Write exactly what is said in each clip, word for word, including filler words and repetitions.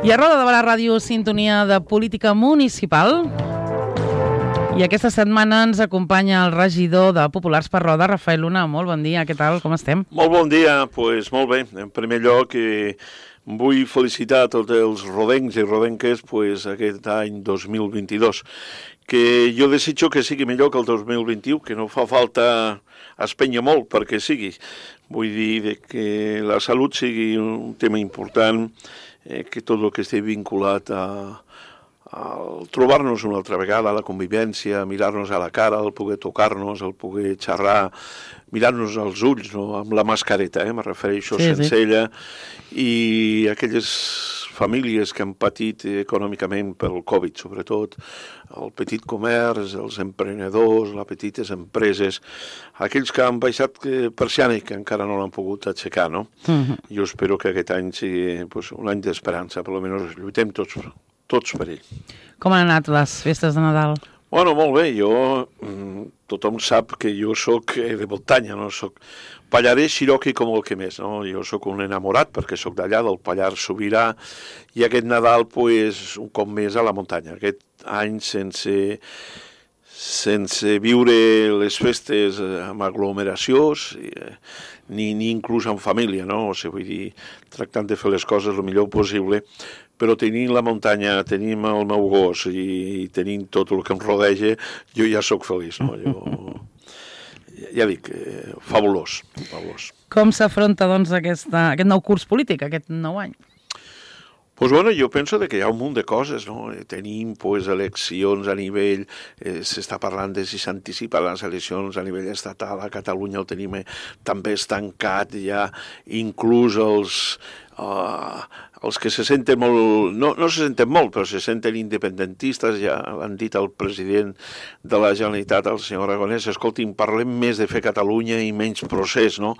I a Roda de Barà Ràdio, sintonia de política municipal. I aquesta setmana ens acompanya el regidor de Populars per Roda, Rafael Luna. Molt bon dia, què tal, com estem? Molt bon dia, doncs pues, molt bé. En primer lloc, eh, vull felicitar a tots els rodencs i rodenques pues, aquest any dos mil vint-i-dos, que jo desitjo que sigui millor que el dos mil vint-i-u, que no fa falta espenya molt perquè sigui. Vull dir que la salut sigui un tema important, eh, que tot el que estigui vinculat a, a trobar-nos una altra vegada, a la convivència, mirar-nos a la cara, el poder tocar-nos, el poder xerrar, mirar-nos als ulls, no? Amb la mascareta, eh? Me refereixo sí, sense sí. ella, i aquelles famílies que han patit econòmicament pel Covid, sobretot el petit comerç, els emprenedors, les petites empreses, aquells que han baixat persiana i que encara no l'han pogut aixecar, no? Uh-huh. Jo espero que aquest any sigui pues, un any d'esperança, per almenys lluitem tots, tots per ell. Com han anat les festes de Nadal? Bueno, molt bé, jo, tothom sap que jo soc de muntanya, no soc pallarès xiroqui com el que més, no? Jo soc un enamorat perquè soc d'allà, del Pallars Sobirà, i aquest Nadal, pues, un cop més a la muntanya. Aquest any sense, sense viure les festes amb aglomeracions, ni, ni inclús en família, no? O sigui, vull dir, tractant de fer les coses el millor possible, però tenint la muntanya, tenim el meu gos i tenim tot el que em rodeja, jo ja sóc feliç, no? Jo, ja dic, eh, fabulós, fabulós. Com s'afronta, doncs, aquesta, aquest nou curs polític, aquest nou any? Pues bueno, jo penso que hi ha un munt de coses, no? Tenim pues, eleccions a nivell, eh, s'està parlant de si s'anticipen les eleccions a nivell estatal, a Catalunya ho tenim eh, també estancat ja, inclús els... Uh, els que se senten molt, no, no se senten molt, però se senten independentistes, ja l'han dit el president de la Generalitat, el senyor Aragonès, escolti'm, parlem més de fer Catalunya i menys procés, no?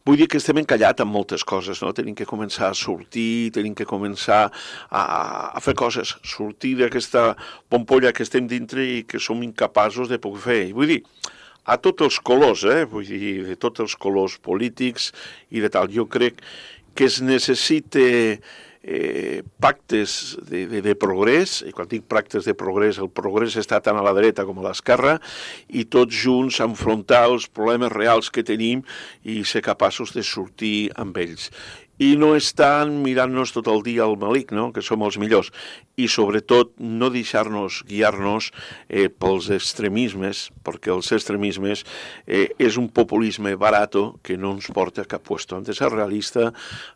Vull dir que estem encallat en moltes coses, no? Tenim que començar a sortir, tenim que començar a, a fer coses, sortir d'aquesta pompolla que estem dintre i que som incapaços de poder fer. I vull dir, a tots els colors, eh? Vull dir, de tots els colors polítics i de tal. Jo crec que es necessita eh, pactes de, de, de progrés, i quan dic pactes de progrés, el progrés està tant a la dreta com a l'esquerra, i tots junts enfrontar els problemes reals que tenim i ser capaços de sortir amb ells. I no estan mirant-nos tot el dia al malic, no? Que som els millors. I sobretot no deixar-nos guiar-nos eh, pels extremismes, perquè els extremismes eh, és un populisme barato que no ens porta a cap puesto. Hem de ser realista,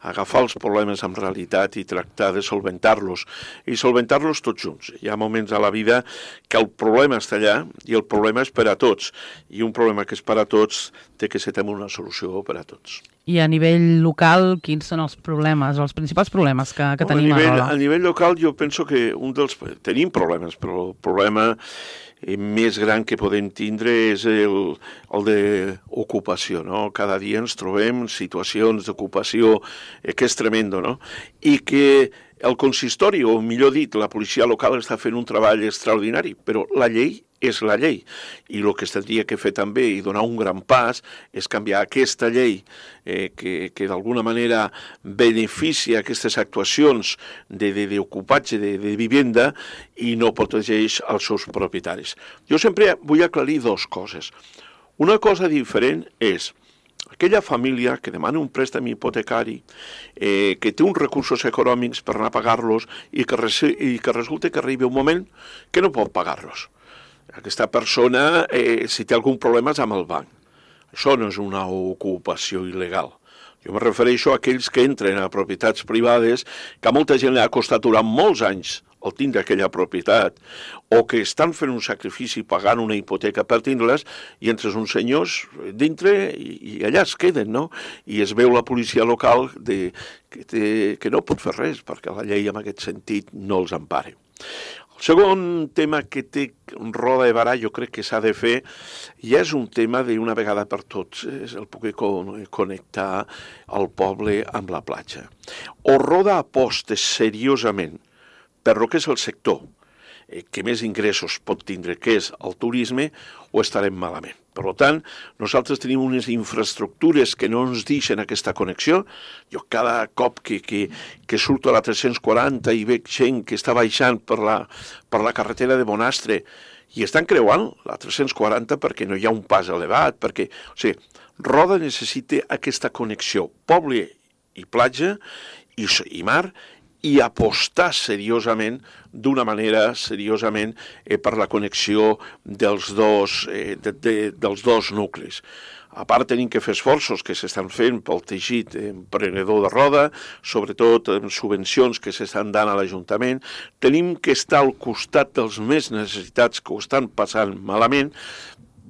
agafar els problemes amb realitat i tractar de solventar-los. I solventar-los tots junts. Hi ha moments a la vida que el problema està allà i el problema és per a tots. I un problema que és per a tots té que ser també una solució per a tots. I a nivell local, quins són els problemes, els principals problemes que, que tenim a, nivell, a Roda? A nivell local jo penso que un dels... Tenim problemes, però el problema més gran que podem tindre és el, el d'ocupació, no? Cada dia ens trobem situacions d'ocupació eh, que és tremendo, no? I que el consistori, o millor dit, la policia local està fent un treball extraordinari, però la llei és la llei. I el que s'hauria que fer també i donar un gran pas és canviar aquesta llei eh, que, que d'alguna manera beneficia aquestes actuacions d'ocupatge de, de, de vivenda i no protegeix els seus propietaris. Jo sempre vull aclarir dues coses. Una cosa diferent és aquella família que demana un préstec hipotecari, eh, que té uns recursos econòmics per anar a pagar-los i que, i que resulta que arriba un moment que no pot pagar-los. Aquesta persona, eh, si té algun problema, és amb el banc. Això no és una ocupació il·legal. Jo me refereixo a aquells que entren a propietats privades que a molta gent li ha costat durant molts anys el tindre aquella propietat, o que estan fent un sacrifici pagant una hipoteca per tindre-les, i entres uns senyors dintre i, i allà es queden, no? I es veu la policia local de, que, té, que no pot fer res, perquè la llei en aquest sentit no els empara. El segon tema que té Roda de Barà, jo crec que s'ha de fer, ja és un tema d'una vegada per tots, és el poder connectar el poble amb la platja. O Roda aposta seriosament per el que és el sector, eh, que més ingressos pot tindre, que és el turisme, o estarem malament. Per tant, nosaltres tenim unes infraestructures que no ens deixen aquesta connexió. Jo cada cop que, que, que surto a la tres-cents quaranta i veig gent que està baixant per la, per la carretera de Bonastre i estan creuant la tres-cents quaranta perquè no hi ha un pas elevat, perquè... O sigui, Roda necessita aquesta connexió poble i platja i, i mar, i apostar seriosament, d'una manera seriosament, eh, per la connexió dels dos, eh, de, de, dels dos nuclis. A part, tenim que fer esforços que s'estan fent pel teixit emprenedor de Roda, sobretot en subvencions que s'estan dant a l'Ajuntament. Tenim que estar al costat dels més necessitats que ho estan passant malament,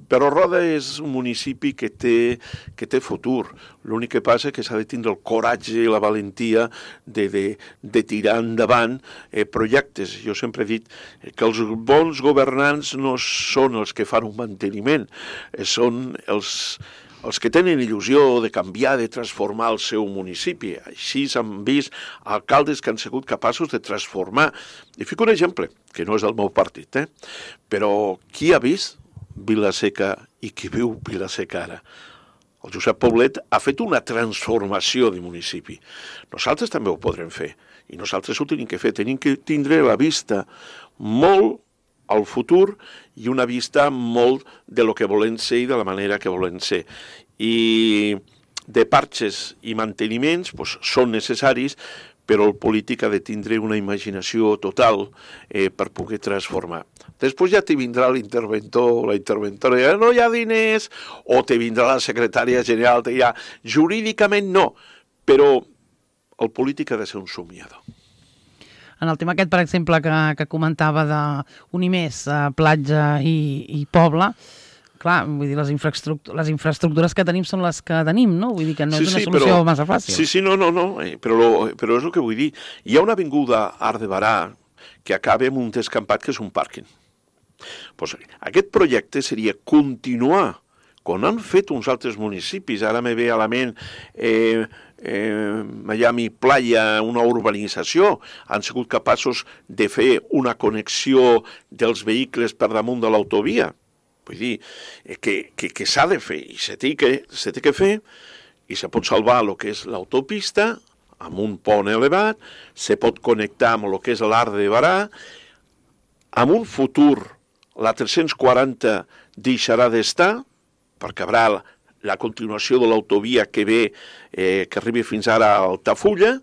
però Roda és un municipi que té, que té futur. L'únic que passa és que s'ha de tindre el coratge i la valentia de, de, de tirar endavant eh, projectes. Jo sempre he dit que els bons governants no són els que fan un manteniment, eh, són els, els que tenen il·lusió de canviar, de transformar el seu municipi. Així s'han vist alcaldes que han sigut capaços de transformar. I fico un exemple, que no és del meu partit, eh? Però qui ha vist Vila-seca i qui viu Vila-seca ara? El Josep Poblet ha fet una transformació de municipi. Nosaltres també ho podrem fer. I nosaltres ho tenim que fer. Tenim que tindre la vista molt al futur i una vista molt de lo que volem ser i de la manera que volem ser. I de parxes i manteniments pues, són necessaris, però el polític ha de tindre una imaginació total eh, per poder transformar. Després ja te vindrà l'interventor o la interventora i dirà, no hi ha diners, o te vindrà la secretària general i te dirà, jurídicament no, però el polític ha de ser un somiador. En el tema aquest, per exemple, que, que comentava d'unir més eh, platja i, i poble, clar, vull dir, les, infraestructures, les infraestructures que tenim són les que tenim, no? Vull dir que no sí, és una sí, solució però, massa fàcil. Sí, sí, no, no, no, però, lo, però és el que vull dir. Hi ha una avinguda Arc de Barà que acaba amb un descampat que és un pàrquing. Pues, aquest projecte seria continuar, com han fet uns altres municipis, ara me ve a la ment eh, eh, Miami Playa, una urbanització, han sigut capaços de fer una connexió dels vehicles per damunt de l'autovia. Vull dir, que, que, que s'ha de fer, i se té que, se té que fer, i se pot salvar el que és l'autopista, amb un pont elevat, se pot connectar amb el que és l'Arc de Barà, amb un futur, la tres-cents quaranta deixarà d'estar, perquè haurà la, la continuació de l'autovia que ve, eh, que arribi fins ara a Altafulla,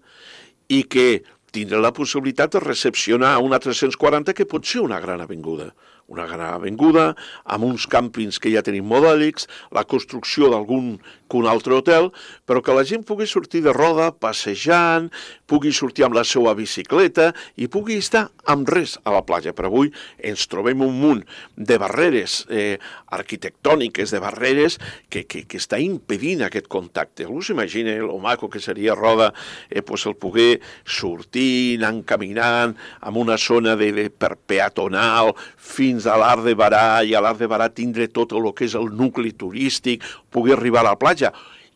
i que tindrà la possibilitat de recepcionar una tres-cents quaranta que pot ser una gran avinguda. Una gran avinguda, amb uns càmpings que ja tenim modèlics, la construcció d'algun que un altre hotel, però que la gent pugui sortir de Roda passejant, pugui sortir amb la seva bicicleta i pugui estar amb res a la platja. Per avui ens trobem un munt de barreres eh, arquitectòniques, de barreres que, que, que està impedint aquest contacte. Algú s'imagina el maco que seria Roda, eh, pues el poder sortir, anar caminant amb una zona de, de per peatonal fins a l'Arc de Barà, i a l'Arc de Barà tindre tot el que és el nucli turístic, poder arribar a la platja.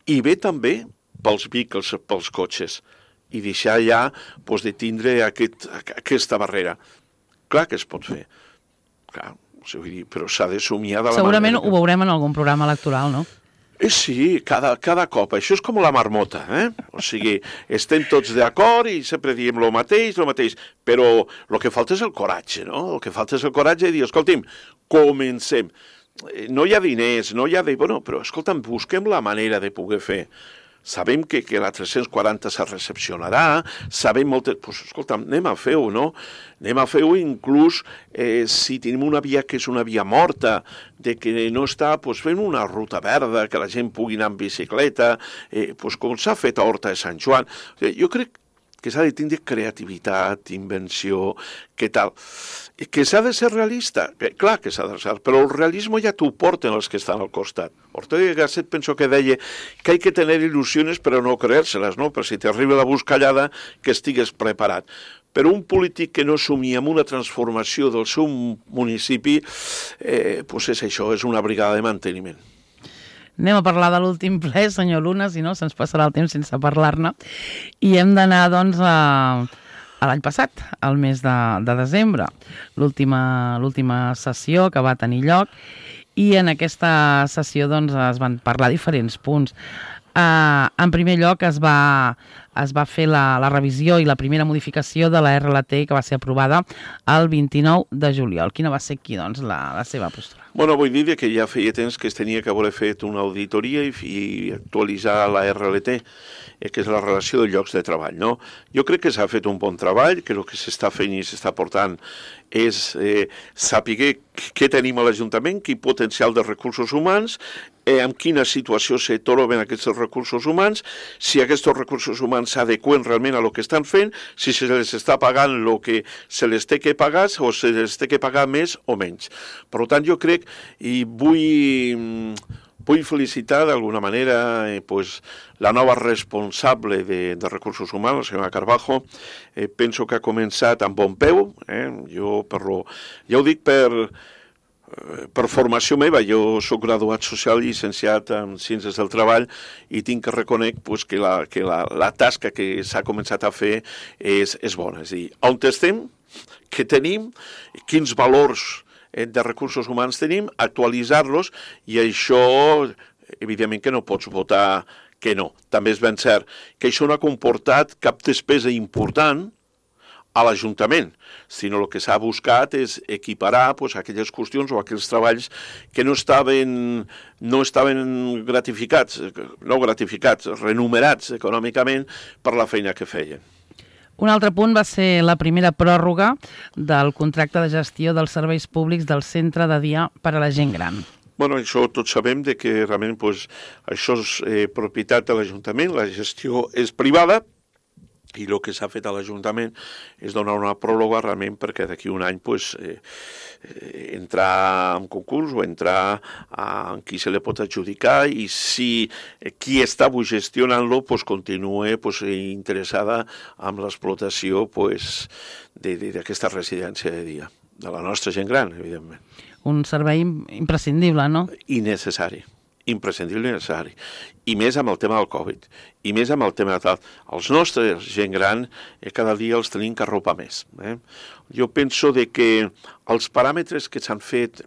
I bé també pels vehicles, pels cotxes, i deixar ja pues, de tindre aquest, aquesta barrera. Clar que es pot fer, clar, vull dir, però s'ha de somiar de la Segurament manera. Ho veurem en algun programa electoral, no? Eh, sí, cada, cada cop. Això és com la marmota, eh? O sigui, estem tots d'acord i sempre diem el mateix, el mateix, però el que falta és el coratge, no? El que falta és el coratge de dir, escolti'm, comencem. No hi ha diners, no hi ha de... Bueno, però, escolta'm, busquem la manera de poder fer. Sabem que, que la tres-cents quaranta se recepcionarà, sabem moltes... Pues, escolta'm, anem a fer-ho, no? Anem a fer-ho inclús eh, si tenim una via que és una via morta, de que no està, pues, fent una ruta verda, que la gent pugui anar en bicicleta, eh, pues, com s'ha fet a Horta de Sant Joan. O sigui, jo crec que s'ha de tindre creativitat, invenció, què tal. Que s'ha de ser realista, clar que s'ha de ser, però el realisme ja t'ho porten els que estan al costat. Ortega y Gasset penso que deia que hay que tener ilusiones però no creérselas, no? Per si t'arriba la buscallada que estigues preparat. Però un polític que no somia amb una transformació del seu municipi, eh, pues és això, és una brigada de manteniment. Anem a parlar de l'últim ple, senyor Luna, si no se'ns passarà el temps sense parlar-ne. I hem d'anar, doncs, a, a l'any passat, al mes de, de desembre, l'última l'última sessió que va tenir lloc. i en aquesta sessió doncs, es van parlar diferents punts. Uh, en primer lloc es va, es va fer la, la revisió i la primera modificació de la R L T que va ser aprovada el vint-i-nou de juliol. Quina va ser aquí doncs, la, la seva postura? Bueno, vull dir que ja feia temps que es tenia que haver fet una auditoria i, i actualitzar la R L T, eh, que és la relació de llocs de treball, no? Jo crec que s'ha fet un bon treball, que el que s'està fent i s'està portant és eh, saber què tenim a l'Ajuntament, quin potencial de recursos humans, eh, en quina situació se troben aquests recursos humans, si aquests recursos humans s'adequen realment a el que estan fent, si se les està pagant el que se les té que pagar o se les té que pagar més o menys. Per tant, jo crec i vull, vull felicitar d'alguna manera eh, pues, la nova responsable de, de recursos humans, la senyora Carbajo. Eh, penso que ha començat amb bon peu. Eh? Jo, per lo, ja ho dic per, per formació meva. Jo soc graduat social i llicenciat en Ciències del Treball i tinc que reconec pues, que, la, que la, la tasca que s'ha començat a fer és, és bona. És a dir, on estem, què tenim, quins valors de recursos humans tenim, actualitzar-los, i això, evidentment que no pots votar que no. També és ben cert que això no ha comportat cap despesa important a l'Ajuntament, sinó el que s'ha buscat és equiparar pues, aquelles qüestions o aquells treballs que no estaven, no estaven gratificats, no gratificats, renumerats econòmicament per la feina que feien. Un altre punt va ser la primera pròrroga del contracte de gestió dels serveis públics del centre de dia per a la gent gran. Bueno, això tots sabem de que realment pues, això és eh, propietat de l'Ajuntament, la gestió és privada, i el que s'ha fet a l'Ajuntament és donar una pròrroga realment perquè d'aquí un any pues, eh, eh, entrar en concurs o entrar en qui se li pot adjudicar i si eh, qui està gestionant-lo pues, continua pues, interessada en l'explotació pues, d'aquesta residència de dia, de la nostra gent gran, evidentment. Un servei imprescindible, no? I necessari. Imprescindible i necessari. I més amb el tema del Covid. I més amb el tema de tal. Els nostres gent gran eh, cada dia els tenim que arropar més. Eh? Jo penso de que els paràmetres que s'han fet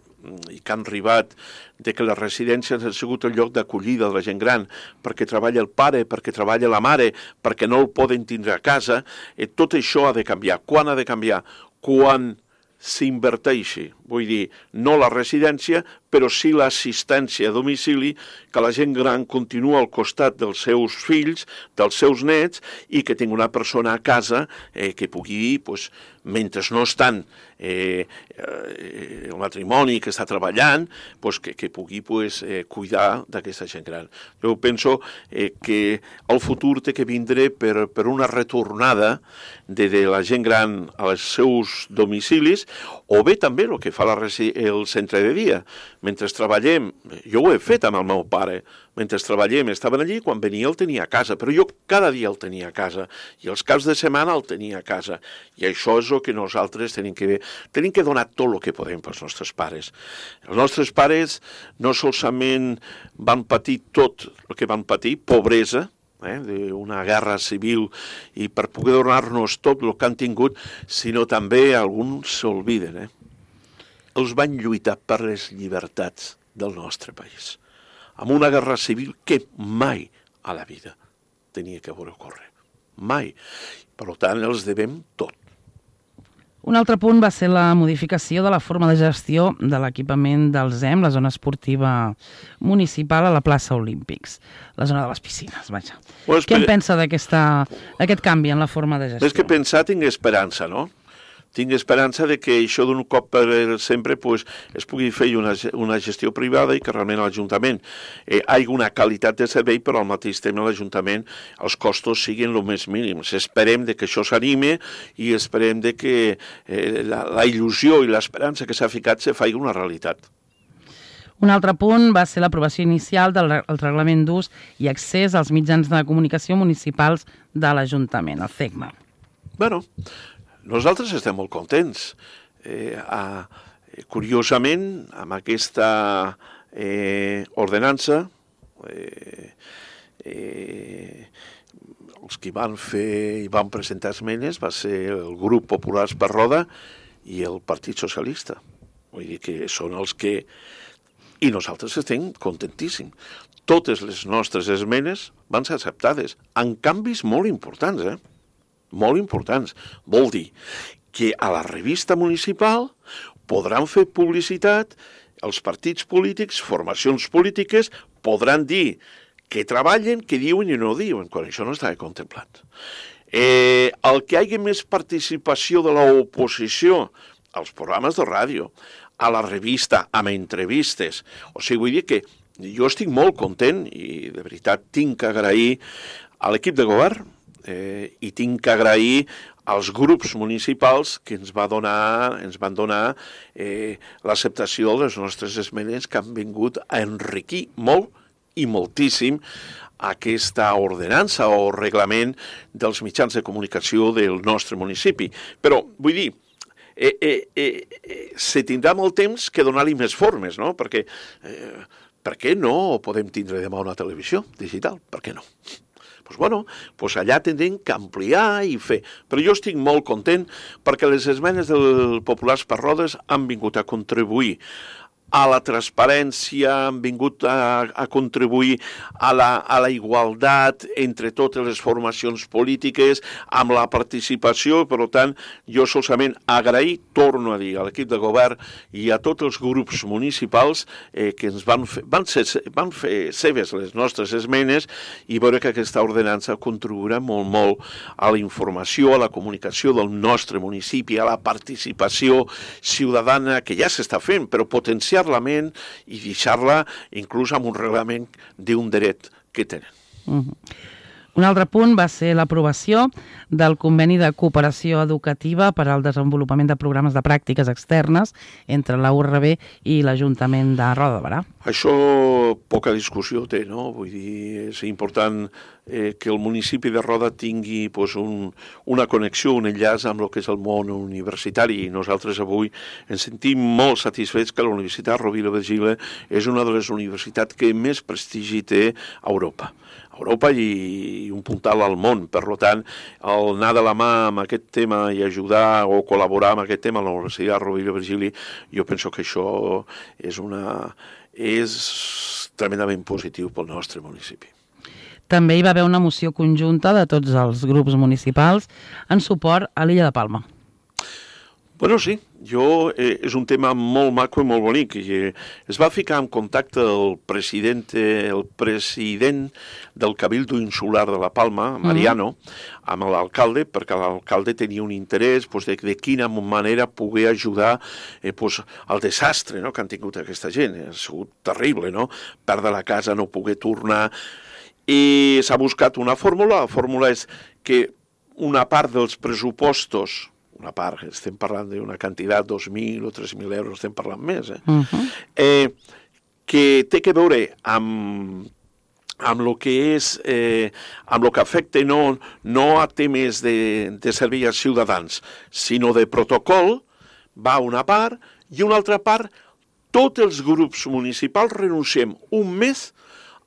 i que han arribat de que les residències han sigut el lloc d'acollida de la gent gran perquè treballa el pare, perquè treballa la mare, perquè no el poden tindre a casa, eh, tot això ha de canviar. Quan ha de canviar? Quan s'inverteixi, vull dir, no la residència, però sí l'assistència a domicili, que la gent gran continua al costat dels seus fills, dels seus nets, i que tingui una persona a casa eh, que pugui, pues, mentre no estan eh, eh, el matrimoni que està treballant, pues, que, que pugui pues, eh, cuidar d'aquesta gent gran. Jo penso eh, que el futur té que vindre per, per una retornada de, de la gent gran als seus domicilis, o bé també el que fa la, el centre de dia. Mentre treballem, jo ho he fet amb el meu pare, mentre treballem estaven allí, quan venia el tenia a casa, però jo cada dia el tenia a casa, i els caps de setmana el tenia a casa, i això és el que nosaltres tenim que, tenim que donar tot el que podem pels nostres pares. Els nostres pares no solament van patir tot el que van patir, pobresa, eh, d'una guerra civil, i per poder donar-nos tot el que han tingut, sinó també alguns s'olviden, eh? Els van lluitar per les llibertats del nostre país, amb una guerra civil que mai a la vida tenia que haver ocórrer. Mai. Per tant, els devem tot. Un altre punt va ser la modificació de la forma de gestió de l'equipament del Z E M, la zona esportiva municipal a la plaça Olímpics, la zona de les piscines, vaja. Bueno, Què en pensa d'aquest canvi en la forma de gestió? Més que pensar, tinc esperança, no? Tinc esperança de que això d'un cop per sempre pues, es pugui fer una, una gestió privada i que realment l'Ajuntament eh, hi hagi una qualitat de servei, però al mateix temps l'Ajuntament els costos siguin el més mínims. Esperem de que això s'anime i esperem de que eh, la, la il·lusió i l'esperança que s'ha ficat se faci una realitat. Un altre punt va ser l'aprovació inicial del reglament d'ús i accés als mitjans de comunicació municipals de l'Ajuntament, el C E C M A. Bueno, nosaltres estem molt contents. Eh, a, curiosament, amb aquesta eh, ordenança, eh, eh, els que van fer i van presentar esmenes va ser el grup Populars per Roda i el Partit Socialista. Vull dir que són els que I nosaltres estem contentíssims. Totes les nostres esmenes van ser acceptades, amb canvis molt importants, eh? Molt importants. Vol dir que a la revista municipal podran fer publicitat, els partits polítics, formacions polítiques, podran dir que treballen, que diuen i no diuen, quan això no estava contemplat. Eh, el que hi hagi més participació de l'oposició als programes de ràdio, a la revista, amb entrevistes. O sigui, vull dir que jo estic molt content i de veritat tinc que agrair a l'equip de govern eh, i tinc que agrair als grups municipals que ens, va donar, ens van donar eh, l'acceptació de les nostres esmenes que han vingut a enriquir molt i moltíssim aquesta ordenança o reglament dels mitjans de comunicació del nostre municipi. Però, vull dir, eh, eh, eh, se tindrà molt temps que donar-li més formes, no? Perquè, eh, per què no podem tindre demà una televisió digital? Per què no? Doncs, bueno, doncs allà tindrem que ampliar i fer. Però jo estic molt content perquè les esmenes del Populars per Rodes han vingut a contribuir a la transparència, han vingut a, a contribuir a la, a la igualtat entre totes les formacions polítiques, amb la participació. Per tant, jo solament agrair, torno a dir, a l'equip de govern i a tots els grups municipals eh, que ens van fer, van, ser, van fer seves les nostres esmenes i veure que aquesta ordenança contribuirà molt, molt a la informació, a la comunicació del nostre municipi, a la participació ciutadana que ja s'està fent, però potenciar la ment i deixar-la inclús amb un reglament d'un dret que tenen. Uh-huh. Un altre punt va ser l'aprovació del conveni de cooperació educativa per al desenvolupament de programes de pràctiques externes entre la U R B i l'Ajuntament de Roda de Berà. Això poca discussió té, no? Vull dir, és important eh, que el municipi de Roda tingui pues, un, una connexió, un enllaç amb el que és el món universitari. I nosaltres avui ens sentim molt satisfets que la Universitat Rovira i Virgili és una de les universitats que més prestigi té a Europa. Europa i un puntal al món. Per tant, el anar de la mà amb aquest tema i ajudar o col·laborar amb aquest tema a la Universitat Rovira i Virgili, jo penso que això és, una, és tremendament positiu pel nostre municipi. També hi va haver una moció conjunta de tots els grups municipals en suport a l'Illa de Palma. Bueno, sí, jo, eh, és un tema molt maco i molt bonic. I, eh, es va ficar en contacte el president, el president del Cabildo Insular de la Palma, Mariano, mm. amb l'alcalde, perquè l'alcalde tenia un interès pues, de, de quina manera poder ajudar eh, pues, al desastre, no?, que han tingut aquesta gent. Ha sigut terrible, no?, perdre la casa, no poder tornar. I s'ha buscat una fórmula. La fórmula és que una part dels pressupostos, una part, estem parlant d'una quantitat, dos mil o tres mil euros, estem parlant més, eh? Uh-huh. eh que té que veure amb, amb el que és, eh, amb el que afecta no, no a temes de, de servei als ciutadans, sinó de protocol, va una part, i una altra part, tots els grups municipals renunciem un mes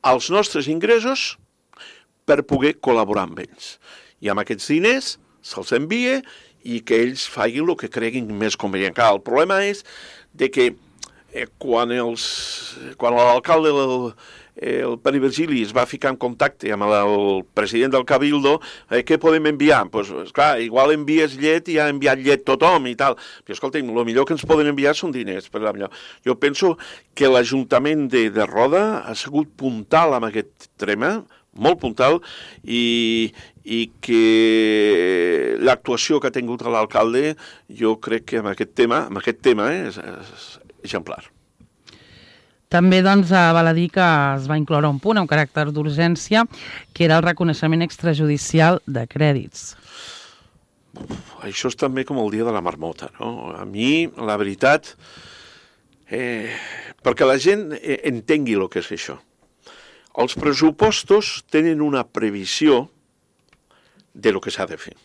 als nostres ingressos per poder col·laborar amb ells. I amb aquests diners se'ls envia i que ells facin el que creguin més convenient. El problema és de que eh, quan, els, quan l'alcalde del el Pere Virgili es va ficar en contacte amb el president del Cabildo, eh, què podem enviar? Pues, esclar, igual envies llet i ha enviat llet tothom i tal. Però escolta'm, el millor que ens poden enviar són diners. Per la millor. Jo penso que l'Ajuntament de, de Roda ha sigut puntal amb aquest tema, molt puntal, i, i que l'actuació que ha tingut l'alcalde, jo crec que amb aquest tema, amb aquest tema eh, és, és exemplar. També doncs, val a dir que es va incloure un punt amb caràcter d'urgència, que era el reconeixement extrajudicial de crèdits. Uf, això és també com el dia de la marmota, no? A mi, la veritat, eh, perquè la gent entengui el que és això. Els pressupostos tenen una previsió de lo que s'ha de fer.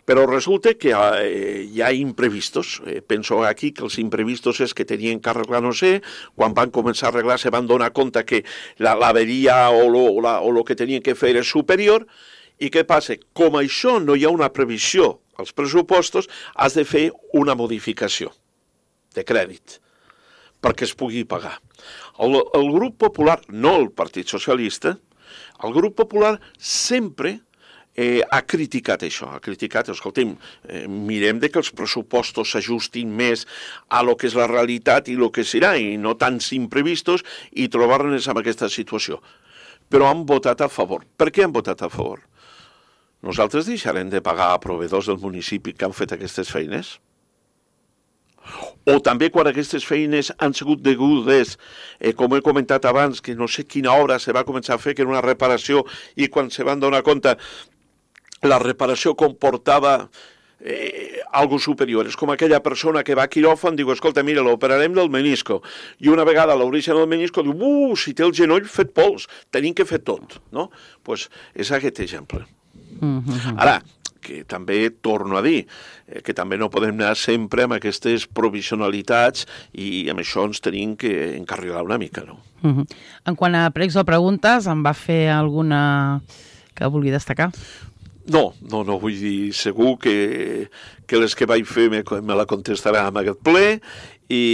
Però resulta que eh, hi ha imprevistos. Eh, penso aquí que els imprevistos és que tenien que arreglar, no sé, quan van començar a arreglar se van donar compte que l'averia o lo, la, o lo que tenien que fer és superior. I què passa? Com això no hi ha una previsió als pressupostos, has de fer una modificació de crèdit. perquè es pugui pagar. El, el grup popular, no el Partit Socialista, el grup popular sempre eh, ha criticat això, ha criticat, escolta'm, eh, mirem de que els pressupostos s'ajustin més a lo que és la realitat i lo que serà, i no tants imprevistos, i trobar-nos en aquesta situació. Però han votat a favor. Per què han votat a favor? Nosaltres deixarem de pagar a proveïdors del municipi que han fet aquestes feines? O també quan aquestes feines han sigut degudes, eh, com he comentat abans, que no sé quina obra se va començar a fer, que era una reparació, i quan se van donar compte, la reparació comportava eh, algo superior. És com aquella persona que va a quiròfan, diu, escolta, mira, l'operarem del menisco, i una vegada l'obreixen del menisco, diu, uh, si té el genoll fet pols, tenim que fer tot, no? Doncs pues és aquest exemple. Mm-hmm. Ara, que també torno a dir, eh, que també no podem anar sempre amb aquestes provisionalitats i amb això ens tenim que encarrilar una mica, no? Uh-huh. En quant a pregs o preguntes, em va fer alguna que vulgui destacar? No, no, no, vull dir, segur que, que les que vaig fer me, me la contestarà amb aquest ple i...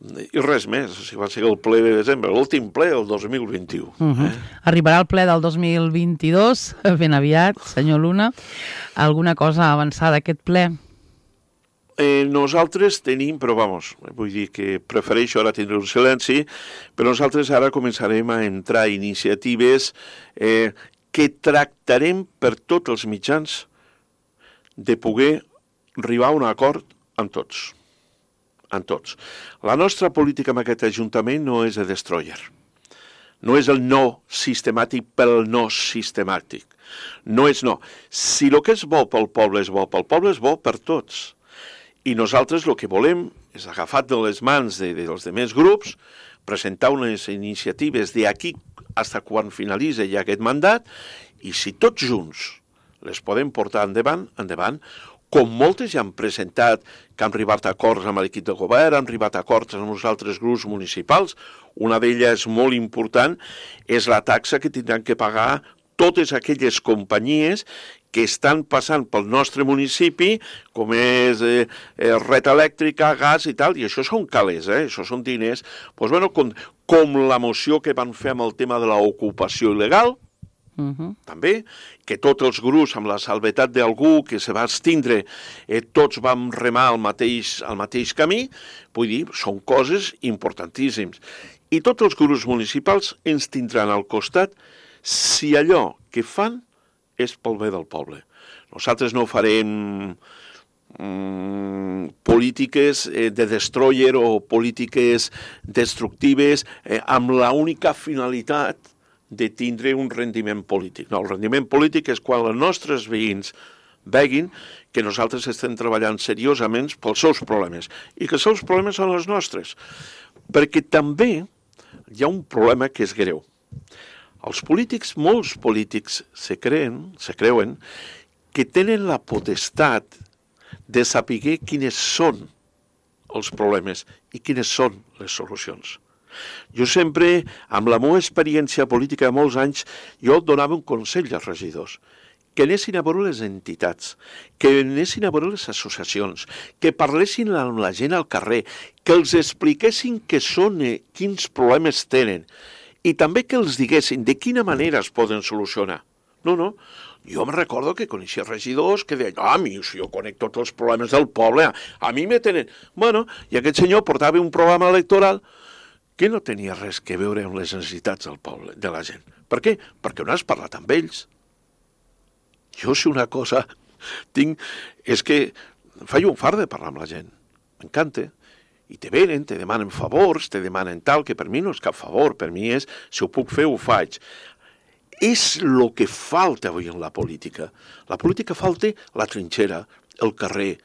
I res més, si va ser el ple de desembre, l'últim ple del dos mil vint-i-u. Uh-huh. eh? Arribarà el ple del dos mil vint-i-dos, ben aviat, senyor Luna. Alguna cosa avançada d'aquest ple? Eh, nosaltres tenim, però vamos, vull dir que prefereixo ara tindre un silenci, però nosaltres ara començarem a entrar iniciatives eh, que tractarem per tots els mitjans de poder arribar a un acord amb tots. En tots. La nostra política amb aquest Ajuntament no és de destroyer. No és el no sistemàtic pel no sistemàtic. No és no. Si el que és bo pel poble és bo pel poble, és bo per tots. I nosaltres el que volem és, agafat de les mans de, de, dels demés grups, presentar unes iniciatives d'aquí fins quan finalitza ja aquest mandat, i si tots junts les podem portar endavant, endavant, com moltes ja han presentat que han arribat a acords amb l'equip de govern, han arribat a acords amb els altres grups municipals. Una d'elles molt important és la taxa que tindran que pagar totes aquelles companyies que estan passant pel nostre municipi, com és eh, red elèctrica, gas i tal, i això són calés, eh? Això són diners. Pues, bueno, com, com la moció que van fer amb el tema de l'ocupació il·legal, Uh-huh. també, que tots els grups, amb la salvetat d'algú que se va extindre, eh, tots vam remar al mateix, al mateix camí, vull dir, són coses importantíssimes. I tots els grups municipals ens tindran al costat si allò que fan és pel bé del poble. Nosaltres no farem mm, polítiques eh, de destroyer o polítiques destructives eh, amb l'única finalitat de tindre un rendiment polític. No, el rendiment polític és quan els nostres veïns veguin que nosaltres estem treballant seriosament pels seus problemes i que els seus problemes són els nostres. Perquè també hi ha un problema que és greu. Els polítics, molts polítics, se creen, se creuen que tenen la potestat de saber quines són els problemes i quines són les solucions. Jo sempre, amb la meva experiència política de molts anys, jo donava un consell als regidors, que anessin a veure les entitats, que anessin a veure les associacions, que parlessin amb la gent al carrer, que els expliquessin què són, quins problemes tenen, i també que els diguessin de quina manera es poden solucionar. No, no, jo me recordo que coneixia regidors que deien, ah, mi, si jo conec tots els problemes del poble, a mi me tenen... Bueno, i aquest senyor portava un programa electoral que no tenia res que veure amb les necessitats del poble, de la gent. Per què? Perquè no has parlat amb ells. Jo, si una cosa tinc, és que faig un fart de parlar amb la gent. M'encanta. I te venen, te demanen favors, te demanen tal, que per mi no és cap favor, per mi és, si ho puc fer, ho faig. És el que falta avui en la política. La política falta la trinxera, el carrer,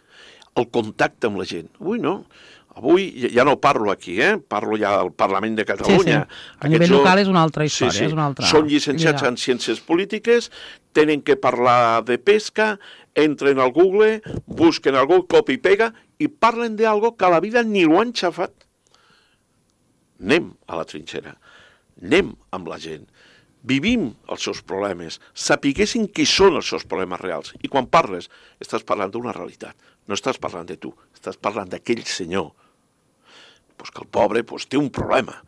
el contacte amb la gent. Avui no. Avui ja no parlo aquí, eh? Parlo ja al Parlament de Catalunya. Sí, sí. A nivell local és una altra història. Sí, sí. És una altra... Són llicenciats en ciències polítiques, tenen que parlar de pesca, entren al Google, busquen algú, copia i pega, i parlen d'algo que a la vida ni ho han xafat. Anem a la trinxera, anem amb la gent, vivim els seus problemes, sapiguessin qui són els seus problemes reals. I quan parles, estàs parlant d'una realitat. No estàs parlant de tu, estàs parlant d'aquell senyor. pues que el pobre pues, té un problema.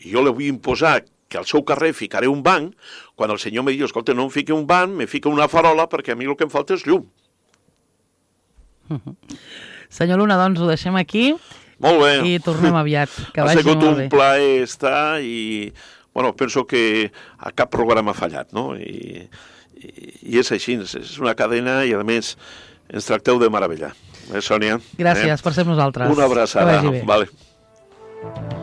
I jo li vull imposar que al seu carrer ficaré un banc, quan el senyor me diu, escolta, no em fiqui un banc, me fica una farola, perquè a mi el que em falta és llum. Uh-huh. Senyor Luna, doncs ho deixem aquí. Molt bé. I tornem aviat. Que ha vagi sigut molt un bé. plaer estar i, bueno, penso que a cap programa ha fallat, no? I, i, i és així, és una cadena i, a més, ens tracteu de meravella. Eh, Sònia? Gràcies eh? per ser nosaltres. Una abraçada. Que vagi bé. Vale.